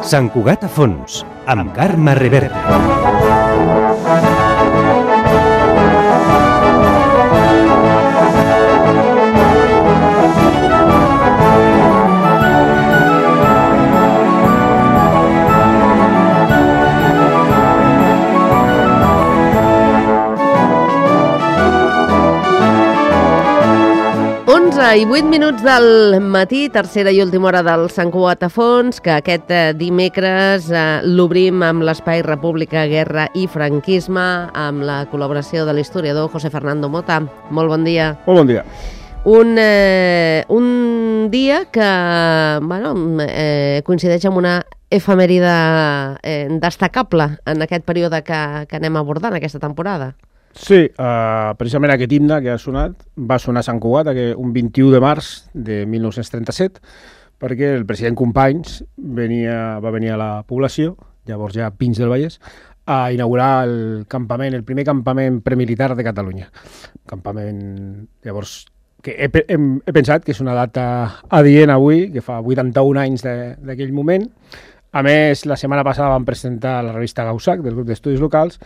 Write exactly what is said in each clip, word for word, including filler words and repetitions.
Sant Cugat a fons, amb Carme Reverte. I vuit minuts del matí, tercera i última hora del Sant Cugat a fons, que aquest dimecres eh, l'obrim amb l'espai República, Guerra i Franquisme, amb la col·laboració de l'historiador José Fernando Mota. Molt bon dia. Molt bon dia. Un, eh, un dia que bueno, eh, coincideix amb una efemèride eh, destacable en aquest període que, que anem abordant aquesta temporada. Sí, uh, precisament aquest himne que ha sonat va sonar a Sant Cugat un vint-i-u de març de mil nou-cents trenta-set, perquè el president Companys venia, va venir a la població, llavors ja Pins del Vallès, a inaugurar el campament, el primer campament premilitar de Catalunya. Campament, llavors, que he, he, he pensat que és una data adient avui, que fa vuitanta-un anys d'aquell moment. A més, la setmana passada vam presentar la revista Gaussac, del grup d'estudis locals,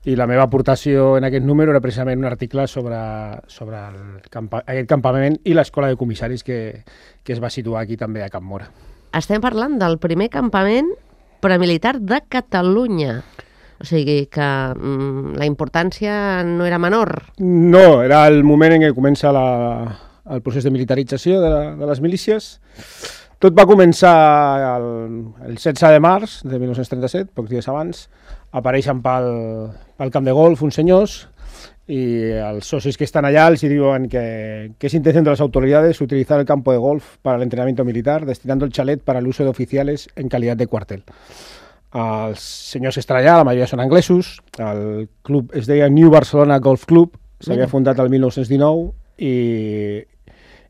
i la meva aportació en aquest número era precisament un article sobre, sobre el campa, aquest campament i l'escola de comissaris que, que es va situar aquí també a Camp Mora. Estem parlant del primer campament premilitar de Catalunya. O sigui que mm, la importància no era menor. No, era el moment en què comença la, el procés de militarització de, la, de les milícies. Tot va començar el, el setze de març de mil nou-cents trenta-set, pocs dies abans. Apareixen pel, pel camp de golf uns senyors i els socis que estan allà els diuen que, que es intención de las autoridades utilizar el campo de golf para el entrenamiento militar, destinando el chalet para el uso de oficiales en calidad de cuartel. Els senyors que estan allà, la majoria són anglesos, el club es deia New Barcelona Golf Club, s'havia fundat el mil nou-cents dinou i...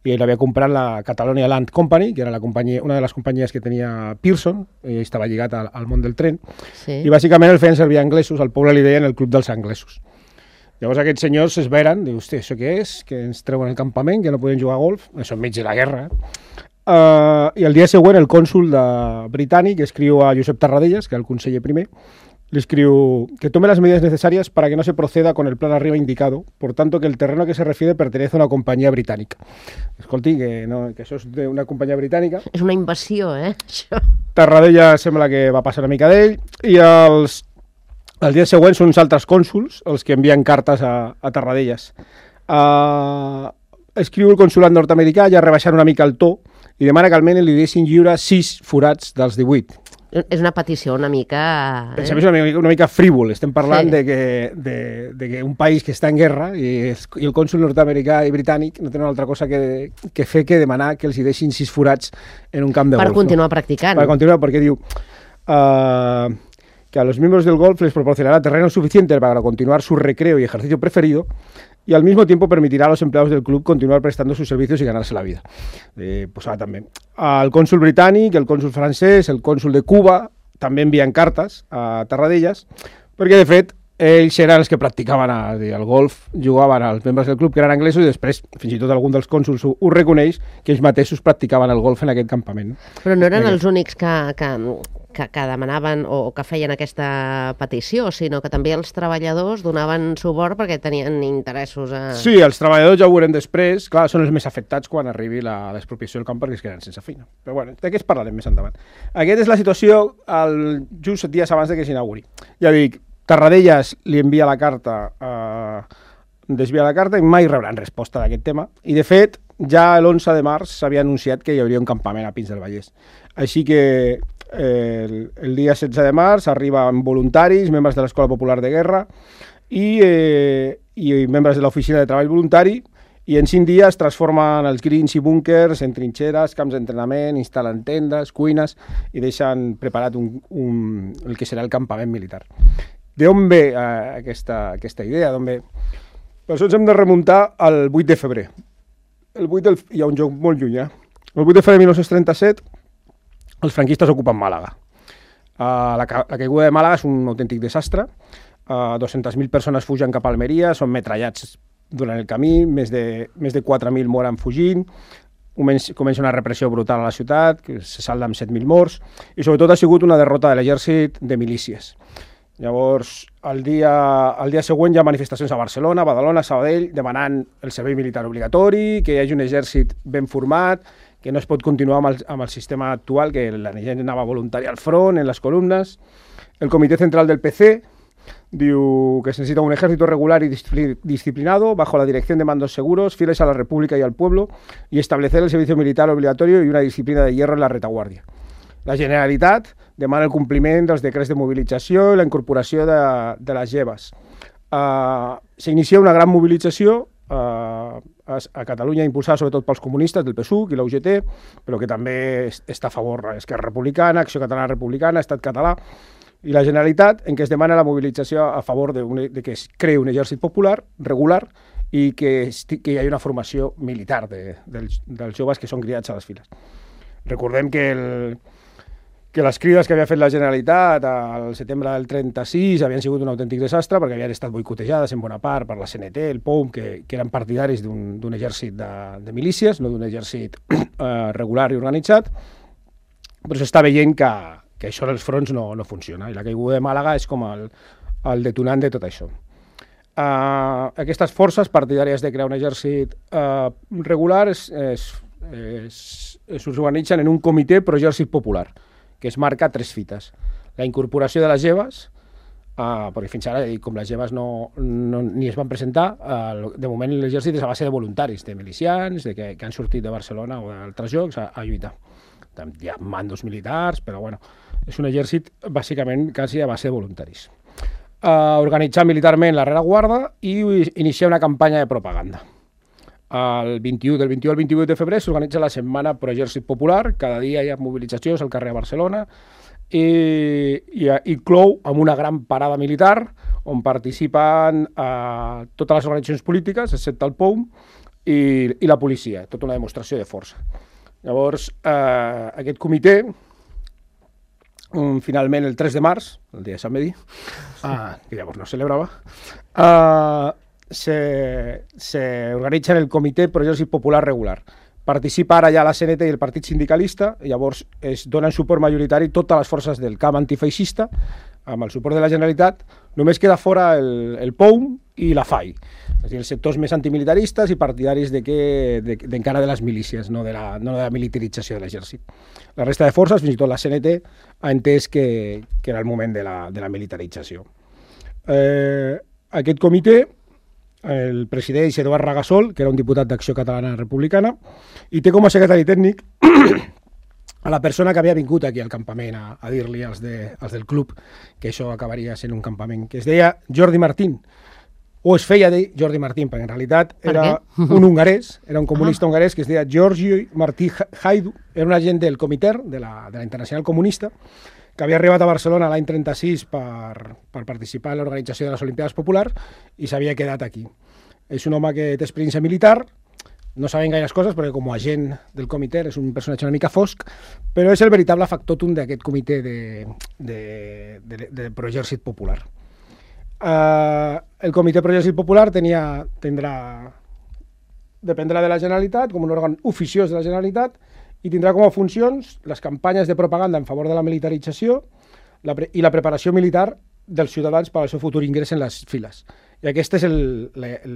i l'havia comprat la Catalonia Land Company, que era la companyia, una de les companyies que tenia Pearson, i estava lligat al, al món del tren, sí. I bàsicament el feien servir anglesos, al poble li deien el club dels anglesos. Llavors aquests senyors es veren, diu, hosti, això què és? Que ens treuen el campament, que no podem jugar a golf, això enmig de la guerra. Uh, I el dia següent el cònsul de britànic escriu a Josep Tarradellas, que és el conseller primer, le escriu que tome las medidas necesarias para que no se proceda con el plan arriba indicado, por tanto que el terreno a que se refiere pertenece a una compañía británica. Escolti, que, no, que això és d'una companyia britànica. És una invasió, eh, això. Tarradella sembla que va passar una mica d'ell, i els, els dies següents són uns altres cònsuls els que envien cartes a, a Tarradellas. Uh, escriu el consulat nord-americà, ja rebaixant una mica el to, i demana que almenys li deixin lliure sis forats dels divuit. És una petició una mica... Eh? És una mica, una mica frívol. Estem parlant sí. de, que, de, de que un país que està en guerra i, es, i el cònsul nord-americà i britànic no tenen altra cosa que, que fer que demanar que els hi deixin sis forats en un camp de per golf. Per continuar no? practicant. Per continuar, perquè diu uh, que a los miembros del golf les proporcionará terreno suficiente para continuar su recreo y ejercicio preferido y al mismo tiempo permitirá a los empleados del club continuar prestando sus servicios y ganarse la vida. Eh, pues ara també. El cònsul britànic, el cònsul francès, el cònsul de Cuba també envien cartes a Tarradellas, perquè de fet ells eren els que practicaven a, el golf, jugaven als membres del club que eren anglesos i després fins i tot algun dels cònsuls ho, ho reconeix que ells mateixos practicaven el golf en aquest campament. Però no eren els únics que, que, que, que demanaven o que feien aquesta petició, sinó que també els treballadors donaven suport perquè tenien interessos a... Sí, els treballadors ja ho veurem després, clar, són els més afectats quan arribi la l'expropiació del camp perquè es queden sense feina. Però bueno, de què es parlarem més endavant. Aquesta és la situació el, just dies abans de que s'inauguri. Ja dic, Tarradellas li envia la carta, eh, desvia la carta i mai rebran resposta d'aquest tema. I, de fet, ja l'onze de març s'havia anunciat que hi hauria un campament a Pins del Vallès. Així que eh, el, el dia setze de març arriben voluntaris, membres de l'Escola Popular de Guerra i, eh, i membres de l'Oficina de Treball Voluntari, i en cinc dies transformen els greens i búnkers en trinxeres, camps d'entrenament, instal·len tendes, cuines i deixen preparat un, un, el que serà el campament militar. D'on ve eh, aquesta, aquesta idea? D'on ve? Per això ens hem de remuntar al vuit de febrer. El vuit del... Hi ha un joc molt lluny, eh? El vuit de febrer de mil nou-cents trenta-set els franquistes ocupen Màlaga. Uh, la, ca la caiguda de Màlaga és un autèntic desastre. Uh, dues-centes mil persones fugen cap a Almeria, són metrallats durant el camí, més de, més de quatre mil moren fugint, comença una repressió brutal a la ciutat, que se salda amb set mil morts, i sobretot ha sigut una derrota de l'exèrcit de milícies. Llavors, el dia, el dia següent hi ha manifestacions a Barcelona, Badalona, Sabadell, demanant el servei militar obligatori, que hi hagi un exèrcit ben format, que no es pot continuar amb el, amb el sistema actual, que la gent anava voluntària al front, en les columnes. El Comitè Central del P C diu que se necesita un ejército regular y disciplinado bajo la dirección de mandos seguros, fieles a la República y al pueblo, y establecer el servicio militar obligatorio y una disciplina de hierro en la retaguardia. La Generalitat demana el compliment dels decrets de mobilització i la incorporació de, de les lleves. Uh, S'inicia una gran mobilització uh, a, a Catalunya, impulsada sobretot pels comunistes del P S U C i la U G T, però que també està a favor d'Esquerra Republicana, Acció Catalana Republicana, Estat Català, i la Generalitat, en què es demana la mobilització a favor de, un, de que es creï un exèrcit popular, regular, i que, que hi hagi una formació militar de, dels, dels joves que són criats a les files. Recordem que el, que les crides que havia fet la Generalitat al setembre del trenta-sis havien sigut un autèntic desastre perquè havien estat boicotejades en bona part per la C N T, el P O M, que, que eren partidaris d'un exèrcit de, de milícies, no d'un exèrcit eh, regular i organitzat, però s'està veient que, que això dels fronts no, no funciona, i la caiguda de Màlaga és com el, el detonant de tot això. Uh, aquestes forces partidàries de crear un exèrcit uh, regular es, es, es, es organitzen en un comitè pro-exèrcit popular, que es marca tres fites. La incorporació de les lleves, uh, perquè fins ara, com les lleves no, no, ni es van presentar, uh, de moment l'exèrcit és a base de voluntaris, de milicians, de que, que han sortit de Barcelona o d'altres llocs a, a lluitar. Hi ha mandos militars, però bueno, és un exèrcit bàsicament quasi a base de voluntaris. Uh, organitzar militarment la rereguarda i iniciar una campanya de propaganda. El vint-i-u, del vint-i-u al vint-i-vuit de febrer s'organitza la Setmana Pro Exèrcit Popular, cada dia hi ha mobilitzacions al carrer de Barcelona, i, i, i clou amb una gran parada militar on participen uh, totes les organitzacions polítiques, excepte el P O M, i, i la policia, tota una demostració de força. Llavors, uh, aquest comitè, um, finalment el tres de març, el dia de Sant Medi, uh, que llavors no es celebrava, uh, se, se organitza en el Comitè Pro Exèrcit Popular Regular. Participa ara ja la C N T i el Partit Sindicalista, i llavors es donen suport majoritari totes les forces del camp antifeixista, amb el suport de la Generalitat. Només queda fora el, el P O M i la F A I, és a dir, els sectors més antimilitaristes i partidaris d'encara de, de, de, de les milícies, no de la, no de la militarització de l'exèrcit. La resta de forces, fins i tot la C N T, ha entès que, que era el moment de la, de la militarització. Eh, aquest comitè, el presideix Eduard Ragasol, que era un diputat d'Acció Catalana Republicana, i té com a secretari tècnic a la persona que havia vingut aquí al campament a, a dir-li als, de, als del club que això acabaria sent un campament, que es deia Jordi Martín, o es feia dir Jordi Martín, perquè en realitat era un hongarès, era un comunista ah. hongarès que es deia Georgi Martí Haidu, era un agent del Comintern, de la, de la Internacional Comunista, que havia arribat a Barcelona l'any trenta-sis per, per participar en l'organització de les Olimpiades Populars i s'havia quedat aquí. És un home que té experiència militar, no sabem gaires coses perquè com a agent del comitè és un personatge una mica fosc, però és el veritable factotum d'aquest comitè de, de, de, de Proexèrcit Popular. Uh, el comitè Proexèrcit Popular tenia, tindrà, dependrà de la Generalitat, com un òrgan oficiós de la Generalitat, i tindrà com a funcions les campanyes de propaganda en favor de la militarització la pre i la preparació militar dels ciutadans per al seu futur ingrés en les files. I aquesta és el, la, el,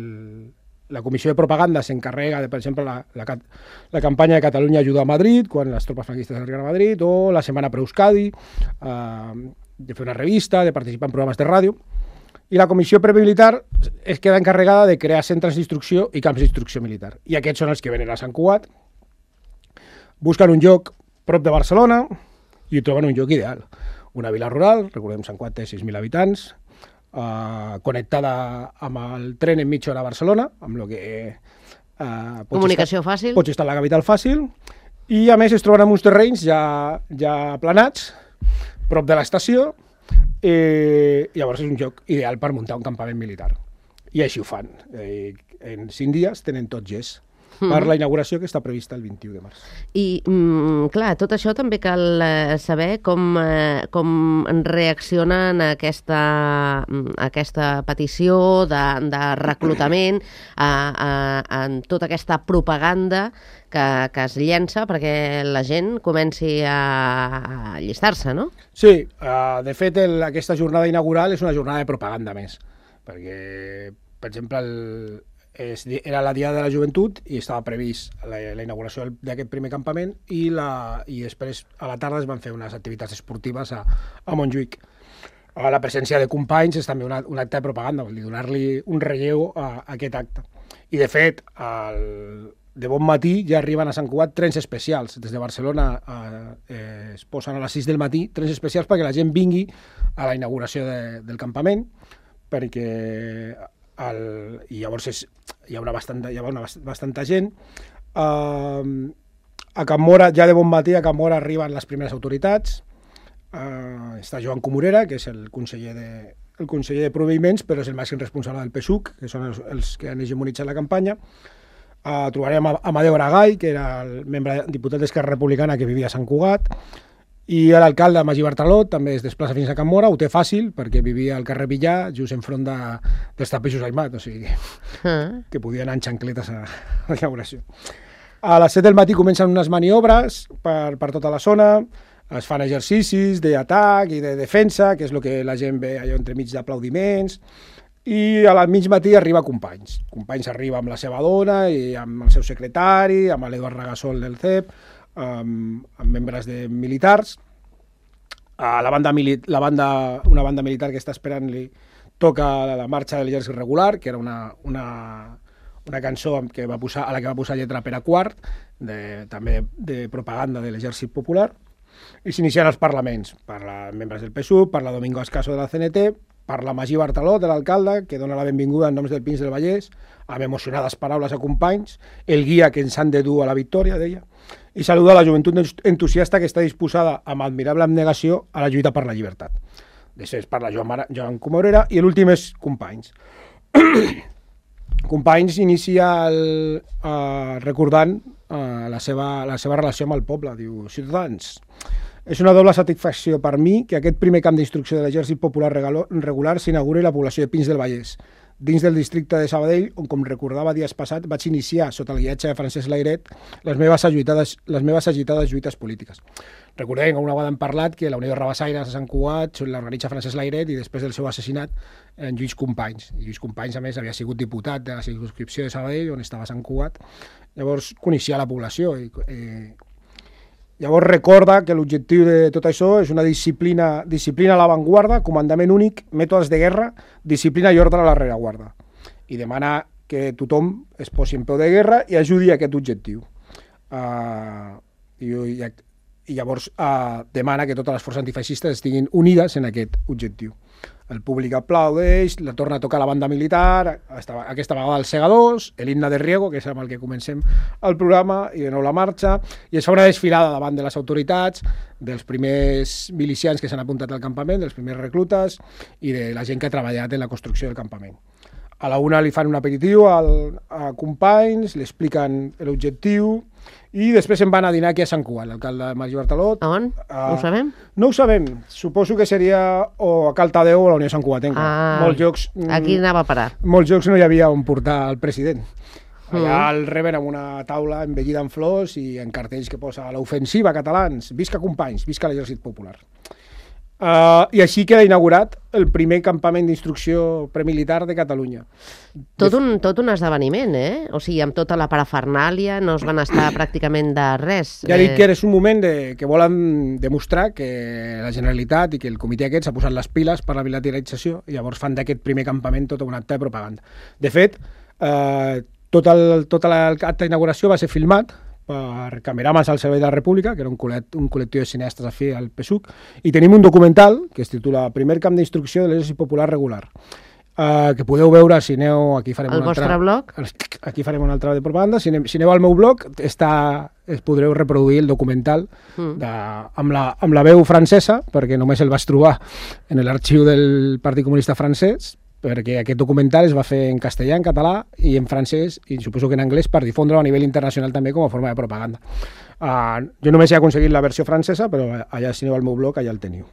la comissió de propaganda s'encarrega de, per exemple, la, la, la campanya de Catalunya ajuda a Madrid, quan les tropes franquistes arriben a Madrid, o la Setmana Pro Euskadi, eh, de fer una revista, de participar en programes de ràdio. I la comissió premilitar es queda encarregada de crear centres d'instrucció i camps d'instrucció militar. I aquests són els que venen a Sant Cugat, busquen un lloc prop de Barcelona i troben un lloc ideal. Una vila rural, recordem, Sant Cugat té sis mil habitants, eh, connectada amb el tren en mitja hora a Barcelona, amb el que... Eh, Comunicació estar, fàcil. Pots estar a la capital fàcil, i a més es troben en uns terrenys ja, ja aplanats, prop de l'estació, i llavors és un lloc ideal per muntar un campament militar. I així ho fan. Eh, en cinc dies tenen tot gest. per mm-hmm. la inauguració que està prevista el vint-i-u de març. I, mm, clar, tot això també cal eh, saber com, eh, com reaccionen a aquesta, a aquesta petició de, de reclutament, a, a, a tota aquesta propaganda que, que es llença perquè la gent comenci a, a allistar-se, no? Sí, uh, de fet el, aquesta jornada inaugural és una jornada de propaganda més, perquè, per exemple, el, és, era la Diada de la Joventut i estava previst la, la inauguració d'aquest primer campament i, la, i després a la tarda es van fer unes activitats esportives a, a Montjuïc. A la presència de companys és també una, un acte de propaganda, vol dir, donar-li un relleu a, a aquest acte. I de fet, el, de bon matí ja arriben a Sant Cugat trens especials. Des de Barcelona a, eh, es posen a les sis del matí trens especials perquè la gent vingui a la inauguració de, del campament, perquè el, i llavors és, hi haurà bastanta, hi haurà una, bastanta gent. Uh, a Can Móra, ja de bon matí, a Can Móra arriben les primeres autoritats. Uh, està Joan Comorera, que és el conseller de, el conseller de Proveïments, però és el màxim responsable del P S U C, que són els, els que han hegemonitzat la campanya. Uh, trobarem a Amadeu Aragall, que era el membre diputat d'Esquerra Republicana que vivia a Sant Cugat, i l'alcalde Magí Bartraló també es desplaça fins a Can Móra, ho té fàcil perquè vivia al carrer Villar, just enfront de, dels tapeixos Aimat, o sigui uh. que podia anar en xancletes a, a la inauguració. A les set del matí comencen unes maniobres per, per tota la zona, es fan exercicis d'atac i de defensa, que és el que la gent ve allò entremig d'aplaudiments, i a la mig matí arriba Companys. Companys arriba amb la seva dona i amb el seu secretari, amb l'Eduard Ragassol del C E P, Amb, amb membres de militars. A la banda, mili- la banda, una banda militar que està esperant li toca la, la marxa de l'exèrcit regular, que era una, una, una cançó que va posar, a la que va posar lletra Pere Quart, de, també de propaganda de l'exèrcit popular, i s'iniciaren els parlaments. Parla membres del P S U, parla Domingo Ascaso de la C N T, parla Magí Bartraló, de l'alcalde, que dona la benvinguda en noms del Pins del Vallès, amb emocionades paraules a Companys, el guia que ens han de dur a la victòria, deia, i saluda la joventut entusiasta que està disposada amb admirable abnegació a la lluita per la llibertat. Després parla Joan, Mara, Joan Comorera i l'últim és Companys. Companys inicia el, uh, recordant uh, la, seva, la seva relació amb el poble. Diu, ciutadans, és una doble satisfacció per mi que aquest primer camp d'instrucció de l'exèrcit popular regular s'inauguri a la població de Pins del Vallès, dins del districte de Sabadell, on, com recordava dies passat, vaig iniciar, sota el guiatge de Francesc Layret, les meves agitades, les meves agitades lluites polítiques. Recordem que una vegada hem parlat que la Unió de Rabassaires de Sant Cugat l'organitza Francesc Layret i després del seu assassinat en Lluís Companys. I Lluís Companys, a més, havia sigut diputat de la circumscripció de Sabadell, on estava Sant Cugat. Llavors coneixia la població i... Eh, Llavors recorda que l'objectiu de tot això és una disciplina, disciplina a l'avantguarda, comandament únic, mètodes de guerra, disciplina i ordre a la rereguarda. I demana que tothom es posi en peu de guerra i ajudi a aquest objectiu. Uh, i, i, I llavors uh, demana que totes les forces antifeixistes estiguin unides en aquest objectiu. El públic aplaudeix, la torna a tocar la banda militar, aquesta vegada els segadors, l'himne de Riego, que és amb el que comencem el programa, i de nou la marxa, i es fa una desfilada davant de les autoritats, dels primers milicians que s'han apuntat al campament, dels primers reclutes i de la gent que ha treballat en la construcció del campament. A la una li fan un aperitiu al, a Companys, li expliquen l'objectiu, i després se'n van a dinar aquí a Sant Cugat, l'alcalde Magí Bartraló. A on? Uh, ho sabem? No ho sabem. Suposo que seria o a Caldeu o a la Unió Sant Cugatenca. Ah, molts llocs, aquí anava a parar. Molts llocs no hi havia on portar el president. Allà mm. el reben amb una taula embellida en flors i en cartells que posa l'ofensiva catalans, visca Companys, visca l'exèrcit popular. Uh, I així queda inaugurat el primer campament d'instrucció premilitar de Catalunya. Tot un, tot un esdeveniment, eh? O sigui, amb tota la parafernàlia, no es van estar pràcticament de res. Ja dic que és un moment de, que volen demostrar que la Generalitat i que el comitè aquest s'ha posat les piles per la bilateralització i llavors fan d'aquest primer campament tot un acte de propaganda. De fet, eh, tot el, tota l'acte d'inauguració va ser filmat per Cameramans al Servei de la República, que era un, col·lect, un col·lectiu de cineastes afí al P S U C, i tenim un documental que es titula Primer camp d'instrucció de l'exèrcit popular regular, uh, que podeu veure si aneu... Aquí farem el un vostre altre, blog? Aquí farem una altra de propaganda. Si aneu, si aneu al meu blog, està, es podreu reproduir el documental mm. de, amb, la, amb la veu francesa, perquè només el vaig trobar en l'arxiu del Partit Comunista francès, perquè aquest documental es va fer en castellà, en català i en francès, i suposo que en anglès, per difondre a nivell internacional també com a forma de propaganda. Uh, jo només he aconseguit la versió francesa, però allà, si aneu al meu blog, allà el teniu.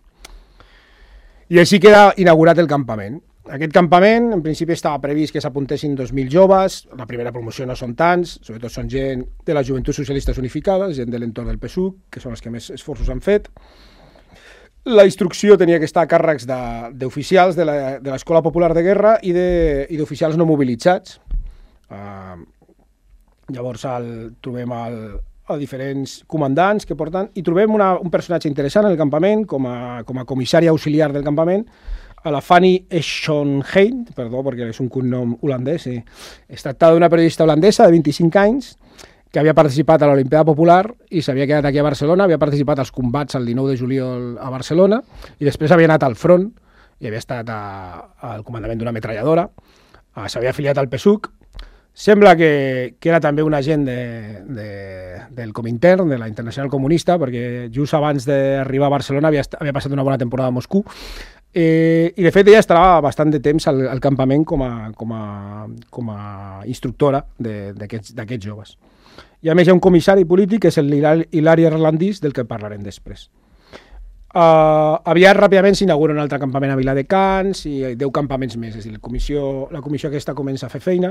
I així queda inaugurat el campament. Aquest campament, en principi, estava previst que s'apuntessin dos mil joves. La primera promoció no són tants, sobretot són gent de les Joventuts Socialistes Unificades, gent de l'entorn del P S U C, que són els que més esforços han fet. La instrucció tenia que estar a càrrecs d'oficials de, de l'Escola Popular de Guerra i d'oficials no mobilitzats. Uh, llavors el, trobem el, a diferents comandants que porten, i trobem una, un personatge interessant en el campament, com a, com a comissari auxiliar del campament, a la Fanny Schonheim, perdó, perquè és un cognom holandès. Sí. Es tracta d'una periodista holandesa de vint-i-cinc anys que havia participat a l'Olimpiada Popular i s'havia quedat aquí a Barcelona, havia participat als combats el dinou de juliol a Barcelona i després havia anat al front i havia estat a, al comandament d'una ametralladora, s'havia afiliat al P S U C. Sembla que, que era també un agent de, de, del Comintern, de la Internacional Comunista, perquè just abans d'arribar a Barcelona havia, havia passat una bona temporada a Moscou. Eh, I de fet ella estava bastant de temps al, al campament com a, com a, com a instructora d'aquests joves. I a més hi ha un comissari polític, que és l'Hilari Erlandís, del que parlarem després. Uh, aviat ràpidament s'inaugura un altre campament a Viladecans i deu campaments més, és a dir, la comissió, la comissió aquesta comença a fer feina,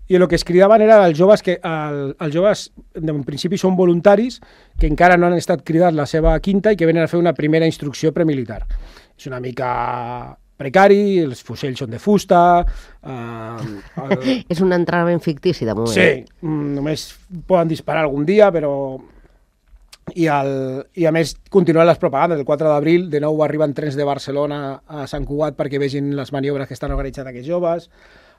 i el que es cridaven eren els joves que el, els joves en principi són voluntaris que encara no han estat cridats la seva quinta i que venen a fer una primera instrucció premilitar. És una mica precari, els fusells són de fusta... Uh, el... És un entrenament fictici, de moment. Sí, només poden disparar algun dia, però... I, el, i a més continuen les propagandes. El quatre d'abril de nou arriben trens de Barcelona a Sant Cugat perquè vegin les maniobres que estan organitzant aquests joves.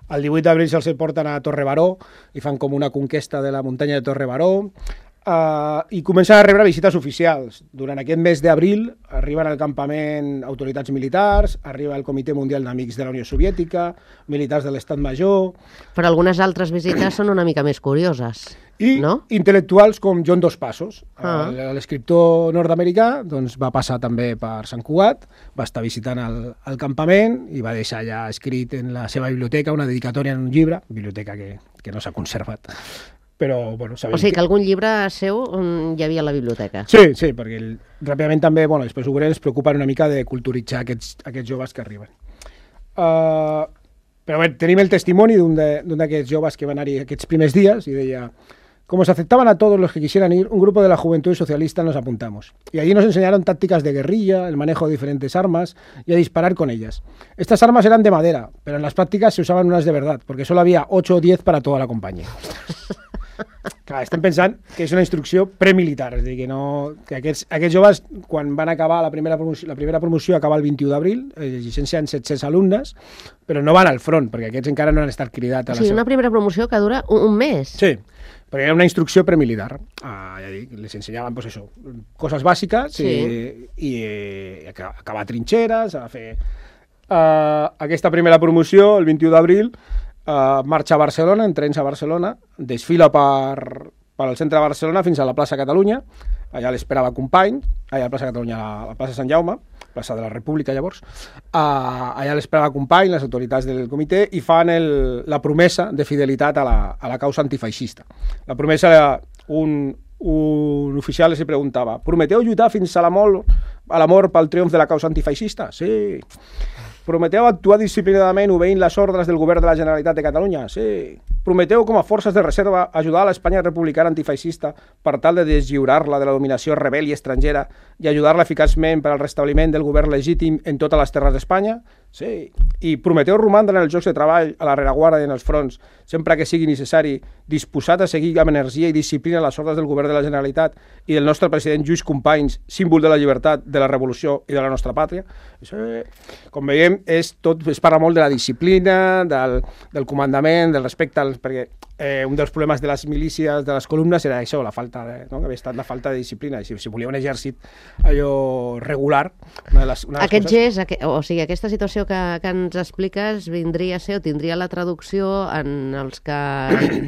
El divuit d'abril se'ls porten a Torre Baró i fan com una conquesta de la muntanya de Torre Baró. Uh, i comencen a rebre visites oficials. Durant aquest mes d'abril arriben al campament autoritats militars, arriba el Comitè Mundial d'Amics de la Unió Soviètica, militars de l'Estat Major... Però algunes altres visites són una mica més curioses, i no? Intel·lectuals com John Dos Passos. Ah. L'escriptor nord-americà doncs, va passar també per Sant Cugat, va estar visitant el, el campament i va deixar ja escrit en la seva biblioteca una dedicatòria en un llibre, biblioteca que, que no s'ha conservat. Però, bueno, o sigui que algun llibre seu hi havia a la biblioteca. Sí, sí, perquè el, ràpidament també, bueno, després ho veurem, es preocupen una mica de culturitzar aquests, aquests joves que arriben. Uh, però bé, tenim el testimoni d'un d'aquests joves que van anar-hi aquests primers dies i deia: como se aceptaban a todos los que quisieran ir, un grupo de la juventud socialista nos apuntamos. Y allí nos enseñaron tácticas de guerrilla, el manejo de diferentes armas y a disparar con ellas. Estas armas eran de madera, pero en las prácticas se usaban unas de verdad, porque solo había ocho o diez para toda la compañía. Clar, estem pensant que és una instrucció premilitar, és a dir, que, no, que aquests, aquests joves, quan van acabar la primera promoció, la primera promoció acaba el vint-i-u d'abril, eh, llicencien set-cents alumnes, però no van al front, perquè aquests encara no han estat cridats. O sigui, una primera promoció que dura un, un mes. Sí, perquè era una instrucció premilitar. Ah, ja dic, les ensenyaven, pues això, coses bàsiques, sí. i, i eh, acabar trinxeres, a fer... Uh, aquesta primera promoció, el vint-i-u d'abril, Uh, marxa a Barcelona, en trens a Barcelona, desfila per, per al centre de Barcelona fins a la plaça Catalunya, allà l'esperava Company, allà a la plaça Catalunya, a la plaça Sant Jaume, plaça de la República llavors, uh, allà l'esperava Company, les autoritats del comitè, i fan el, la promesa de fidelitat a la, a la causa antifeixista. La promesa era un, un oficial els preguntava: prometeu lluitar fins a la mort, a la mort pel triomf de la causa antifeixista? Sí. Prometeu actuar disciplinadament obeint les ordres del govern de la Generalitat de Catalunya? Sí. Prometeu, com a forces de reserva, ajudar a l'Espanya republicana antifeixista per tal de deslliurar-la de la dominació rebel i estrangera i ajudar-la eficaçment per al restabliment del govern legítim en totes les terres d'Espanya? Sí. I prometeu romandre en els llocs de treball, a la rereguarda i en els fronts, sempre que sigui necessari, disposat a seguir amb energia i disciplina les ordres del govern de la Generalitat i del nostre president Lluís Companys, símbol de la llibertat, de la revolució i de la nostra pàtria? Sí. Com veiem, és tot, es parla molt de la disciplina, del, del comandament, del respecte, als, perquè eh, un dels problemes de les milícies, de les columnes, era això, la falta de, no? que havia estat la falta de disciplina. I si, si volia un exèrcit allò regular... Una de les, una de les Aquest coses... gest, aqu o sigui, aquesta situació que, que ens expliques vindria a ser o tindria la traducció en els que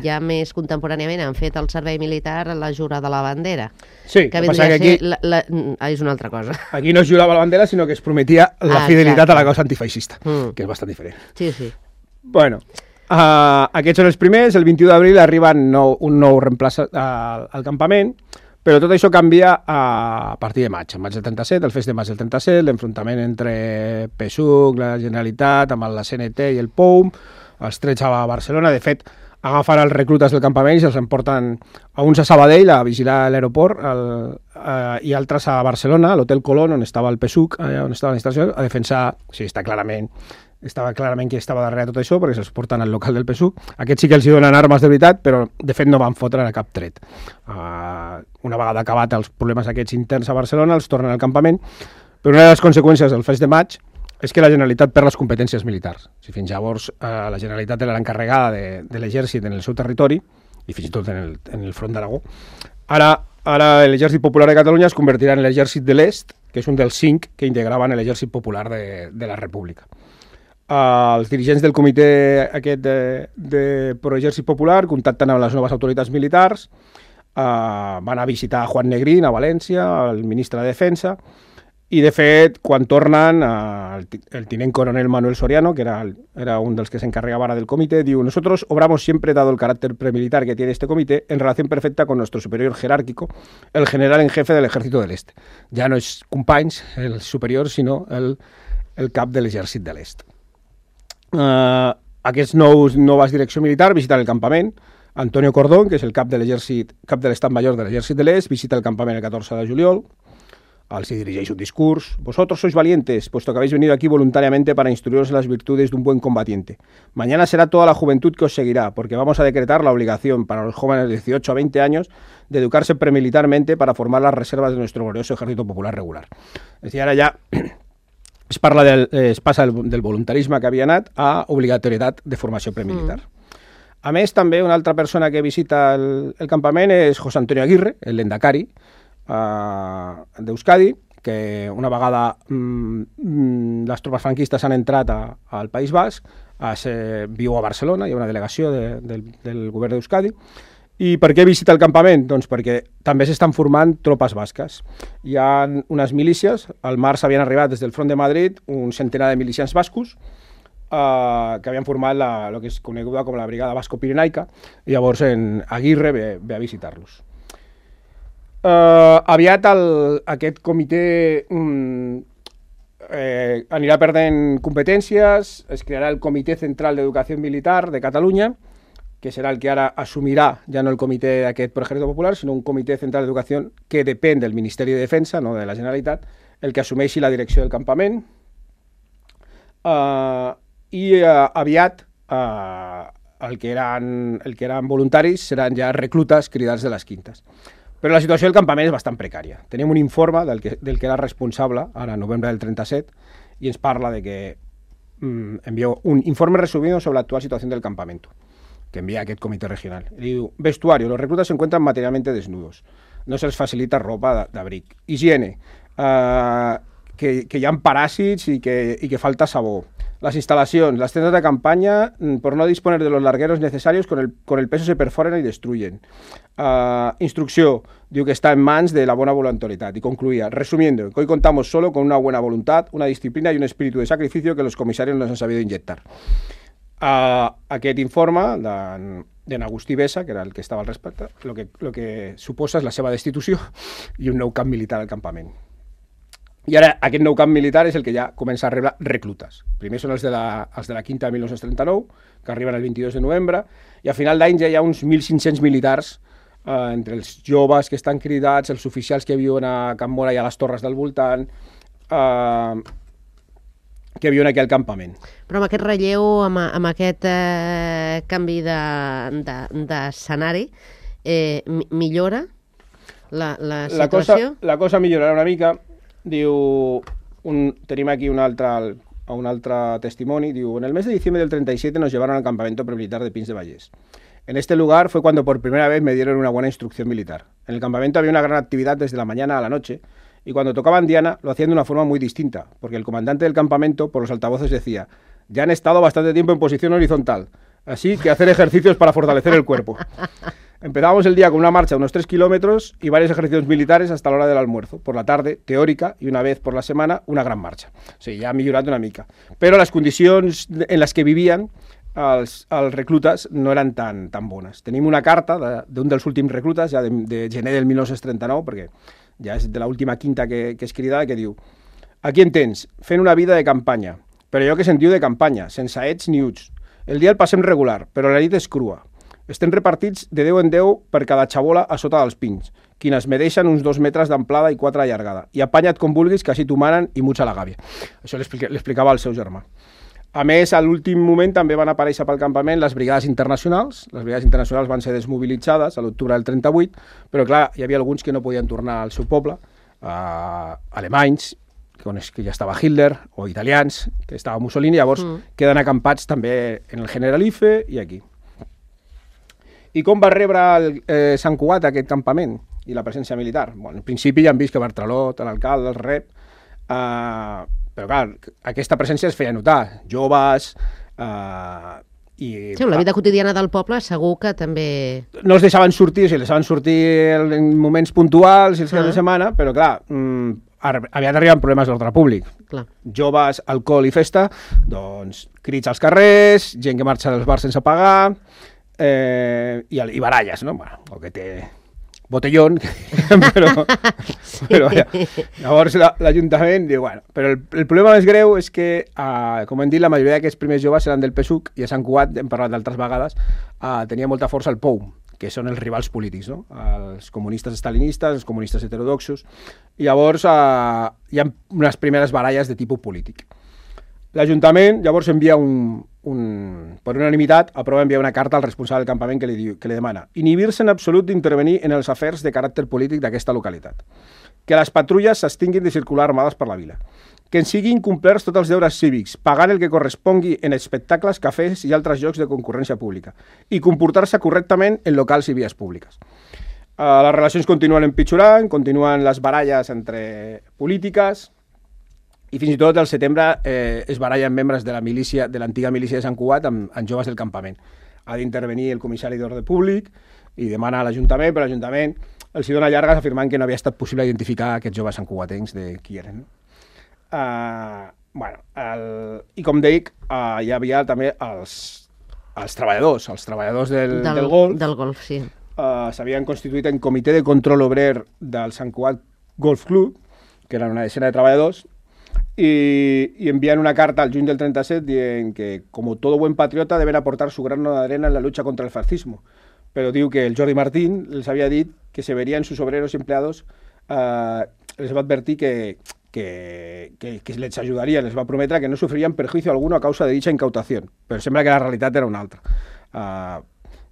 ja més contemporàniament han fet el servei militar a la jura de la bandera. Sí, que que vindria que a ser... aquí... La, la... Ah, és una altra cosa. Aquí no es jurava la bandera, sinó que es prometia la ah, fidelitat exacte. a la causa antifeixista, mm. que és bastant diferent. Sí, sí. Bueno, uh, aquests són els primers. El vint-i-u d'abril arriba nou, un nou reemplaç al, al campament, però tot això canvia a partir de maig. En maig del trenta-set, el fest de maig del trenta-set, l'enfrontament entre P S U C, la Generalitat, amb la C N T i el P O U M, els trets a Barcelona. De fet, agafen els reclutes del campament i se'ls emporten a uns a Sabadell a vigilar l'aeroport uh, i altres a Barcelona, a l'Hotel Colón, on estava el P S U C, allà on estava l'instal·lació, a defensar, sí, està clarament... estava clarament qui estava darrere tot això, perquè se'ls porten al local del P S U C. Aquests sí que els hi donen armes de veritat, però de fet no van fotre cap tret. Uh, una vegada acabat els problemes aquests interns a Barcelona, els tornen al campament, però una de les conseqüències del fest de maig és que la Generalitat perd les competències militars. Si fins llavors uh, la Generalitat era l'encarregada de, de l'exèrcit en el seu territori, i fins i tot en el, en el front d'Aragó, ara, ara l'Exèrcit Popular de Catalunya es convertirà en l'Exèrcit de l'Est, que és un dels cinc que integraven l'Exèrcit Popular de, de la República. Uh, els dirigents del comitè aquest de, de Proexèrcit Popular contacten amb les noves autoritats militars, uh, van a visitar Juan Negrín a València, el ministre de Defensa, i de fet, quan tornen, uh, el, el tinent coronel Manuel Soriano, que era, el, era un dels que s'encarregava ara del comitè, diu: nosotros obramos siempre, dado el carácter premilitar que tiene este comité, en relación perfecta con nuestro superior jerárquico, el general en jefe del Ejército del Este. Ja no és companys, el superior, sinó el, el cap de l'Exèrcit de l'Est. Uh, aquests nous noves direcció militar visiten el campament. Antonio Cordón, que és el cap de l'exèrcit, cap de l'estat major de l'Exèrcit de l'Est, visita el campament el catorze de juliol. Els dirigeix un discurs: vosotros sois valientes, puesto que habéis venido aquí voluntariamente para instruiros en las virtudes de un buen combatiente. Mañana será toda la juventud que os seguirá, porque vamos a decretar la obligación para los jóvenes de dieciocho a veinte años de educarse premilitarmente para formar las reservas de nuestro glorioso Ejército Popular regular. És a dir, ara ja es parla del, eh, es passa del, del voluntarisme que havia anat a obligatorietat de formació premilitar. Mm. A més, també una altra persona que visita el, el campament és José Antonio Aguirre, el lendakari uh, d'Euskadi, que una vegada mm, les tropes franquistes han entrat a, al País Basc, a ser, viu a Barcelona, hi ha una delegació de, de, del govern d'Euskadi. I per què visita el campament? Doncs perquè també s'estan formant tropes basques. Hi ha unes milícies, al març havien arribat des del front de Madrid un centenar de milicians bascos eh, que havien format la, el que és coneguda com la Brigada Basco-Pirenaica, i llavors en Aguirre ve, ve a visitar-los. Eh, aviat el, aquest comitè mm, eh, anirà perdent competències, es crearà el Comitè Central d'Educació Militar de Catalunya, que serà el que ara assumirà ja no el comitè aquest Pro Ejército Popular, sinó un comitè central d'educació que depèn del Ministeri de Defensa, no de la Generalitat, el que assumeixi la direcció del campament. Uh, I uh, aviat uh, el, que eren, el que eren voluntaris seran ja reclutes cridats de les quintes. Però la situació del campament és bastant precària. Tenim un informe del que, del que era responsable, ara en novembre del trenta-set, i ens parla de que mm, envió un informe resumido sobre la actual situación del campamento, que envía a aquest comitè regional. Y diu: vestuario, los reclutas se encuentran materialmente desnudos, no se les facilita ropa d'abric. Higiene, uh, que, que hi ha paràsits i que, i que falta sabó. Las instalacions, las tiendas de campaña, por no disponer de los largueros necesarios, con el, con el peso se perforan y destruyen. Uh, instrucció, diu que está en mans de la bona voluntariedad. Y concluía, resumiendo, que hoy contamos solo con una buena voluntad, una disciplina y un espíritu de sacrificio que los comisarios nos han sabido inyectar. Uh, aquest informe d'en Agustí Bessa, que era el que estava al respecte, el que, lo que suposa és la seva destitució i un nou camp militar al campament. I ara aquest nou camp militar és el que ja comença a rebre reclutes. Primer són els de la, els de la quinta de mil nou-cents trenta-nou, que arriben el vint-i-dos de novembre, i a final d'any ja hi ha uns mil cinc-cents militars, eh, entre els joves que estan cridats, els oficials que viuen a Can Mora i a les torres del voltant, eh, que viuen aquí al campament. Però amb aquest relleu, amb, amb aquest eh, canvi d'escenari, de, de, eh, millora la, la situació? La cosa, la cosa millorarà una mica. Diu, un, tenim aquí un altre, un altre testimoni, diu: en el mes de diciembre del treinta y siete nos llevaron al campamento premilitar de Pins de Vallès. En este lugar fue cuando por primera vez me dieron una buena instrucción militar. En el campamento había una gran actividad desde la mañana a la noche, y cuando tocaban Diana lo hacían de una forma muy distinta, porque el comandante del campamento por los altavoces decía: ya han estado bastante tiempo en posición horizontal, así que hacer ejercicios para fortalecer el cuerpo. Empezábamos el día con una marcha de unos tres kilómetros y varios ejercicios militares hasta la hora del almuerzo. Por la tarde, teòrica, i una vez por la setmana, una gran marxa. O sigui, ja ha millorat una mica. Però les condicions en les que vivien els, els reclutes no eren tan, tan bones. Tenim una carta d'un de, dels últims reclutes, ja de, de gener del mil nou-cents trenta-nou, perquè ja és de l'última quinta que, que és cridada, que diu: aquí en tens, fent una vida de campanya, però allò que sentiu de campanya, sense ets ni uts. El dia el passem regular, però la nit és crua. Estem repartits de deu en deu per cada xabola a sota dels pins, quines medeixen uns dos metres d'amplada i quatre de llargada. I apanya't com vulguis, que així t'ho manen i mucha la gàbia. Això l'explicava al seu germà. A més, a l'últim moment també van aparèixer pel campament les brigades internacionals. Les brigades internacionals van ser desmobilitzades a l'octubre del trenta-vuit, però clar, hi havia alguns que no podien tornar al seu poble, eh, alemanys, que ja estava Hitler, o italians, que estava Mussolini, llavors mm. queden acampats també en el Generalife i aquí. I com va rebre el, eh, Sant Cugat aquest campament i la presència militar? Bueno, en principi ja han vist que Bartralot, l'alcalde, el rep, eh, però clar, aquesta presència es feia notar. Joves... Eh, i, sí, la vida quotidiana del poble segur que també... No els deixaven sortir, o sigui, els deixaven sortir en moments puntuals i els caps ah. de setmana, però clar, mm, havia d'arribar amb problemes d'ordre públic. Clar. Joves, alcohol i festa, doncs crits als carrers, gent que marxa dels bars sense pagar... Eh, i, i baralles, no? Bueno, o que té botellón, però, sí. però ja. Llavors l'Ajuntament diu, bueno, però el, el problema més greu és que, eh, com hem dit, la majoria d'aquests primers joves eren del P S U C i a Sant Cugat, hem parlat d'altres vegades, eh, tenia molta força el P O U, que són els rivals polítics, no? Els comunistes estalinistes, els comunistes heterodoxos, i llavors eh, hi ha unes primeres baralles de tipus polític. L'Ajuntament llavors envia un, un, per unanimitat, aprova enviar una carta al responsable del campament que li, diu, que li demana inhibir-se en absolut d'intervenir en els afers de caràcter polític d'aquesta localitat, que les patrulles s'extinguin de circular armades per la vila, que en siguin complerts tots els deures cívics, pagant el que correspongui en espectacles, cafès i altres llocs de concurrència pública, i comportar-se correctament en locals i vies públiques. Uh, les relacions continuen empitjorant, continuen les baralles entre polítiques, i fins i tot al setembre eh, es barallen membres de la milícia, de l'antiga milícia de Sant Cugat amb, amb joves del campament. Ha d'intervenir el comissari d'ordre públic i demana a l'Ajuntament, però l'Ajuntament els dona llargues afirmant que no havia estat possible identificar aquests joves santcugatencs de qui eren. Uh, bueno, el, I com dic, uh, hi havia també els, els treballadors, els treballadors del, del, del golf. Del golf, sí. Uh, s'havien constituït en comitè de control obrer del Sant Cugat Golf Club, que eren una decena de treballadors, Y, y envían una carta al juny del trenta-set dient que, como todo buen patriota, deben aportar su grano de arena en la lucha contra el fascismo. Pero diu que el Jordi Martín les havia dit que se verían sus obreros y empleados, eh, les va advertir que, que, que, que les ayudaría, les va prometre que no sufrirían perjuicio alguno a causa de dicha incautación. Pero sembla que la realitat era una altra. Uh,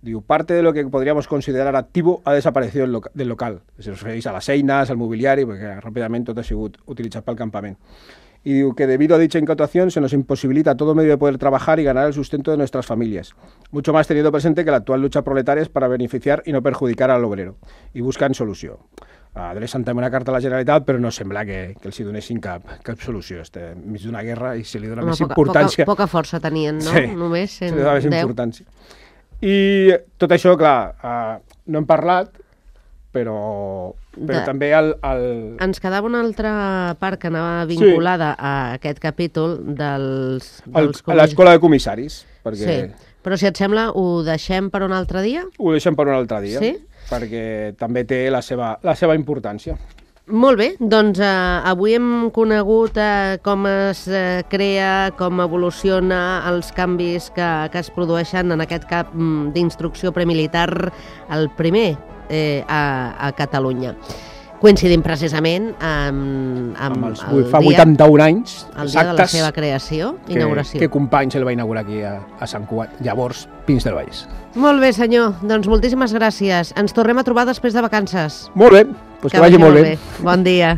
diu, parte de lo que podríamos considerar activo ha desaparecido del, loca del local. Se refereix a les eines, al mobiliari, perquè ràpidament tot ha sigut utilitzat pel campament. Y digo que debido a dicha incautación se nos imposibilita todo medio de poder trabajar y ganar el sustento de nuestras familias. Mucho más teniendo presente que la actual lucha proletaria es para beneficiar y no perjudicar al obrero. Y buscan solució. Adrecen també una carta a la Generalitat, però no sembla que, que els hi donessin cap, cap solució. Este, mig d'una guerra i se li dona Home, més poca, importància. Poca, poca força tenien, no? Sí, Només en se li dona més importància. I tot això, clar, uh, no hem parlat, però, però de... també el, el... Ens quedava una altra part que anava vinculada sí. a aquest capítol dels... dels el, a l'escola de comissaris. Perquè... Sí, però si et sembla, ho deixem per un altre dia? Ho deixem per un altre dia, sí? Perquè també té la seva, la seva importància. Molt bé, doncs eh, avui hem conegut eh, com es eh, crea, com evoluciona els canvis que, que es produeixen en aquest cap d'instrucció premilitar, el primer eh, a, a Catalunya. Coincidim precisament amb, amb, amb els, el fa dia, vuitanta-un anys el dia de la seva creació, que, inauguració. Que Companys el va inaugurar aquí a, a Sant Cugat, llavors Pins del Vallès. Molt bé, senyor. Doncs moltíssimes gràcies. Ens tornem a trobar després de vacances. Molt bé, doncs que, que vagi molt bé. bé. Bon dia.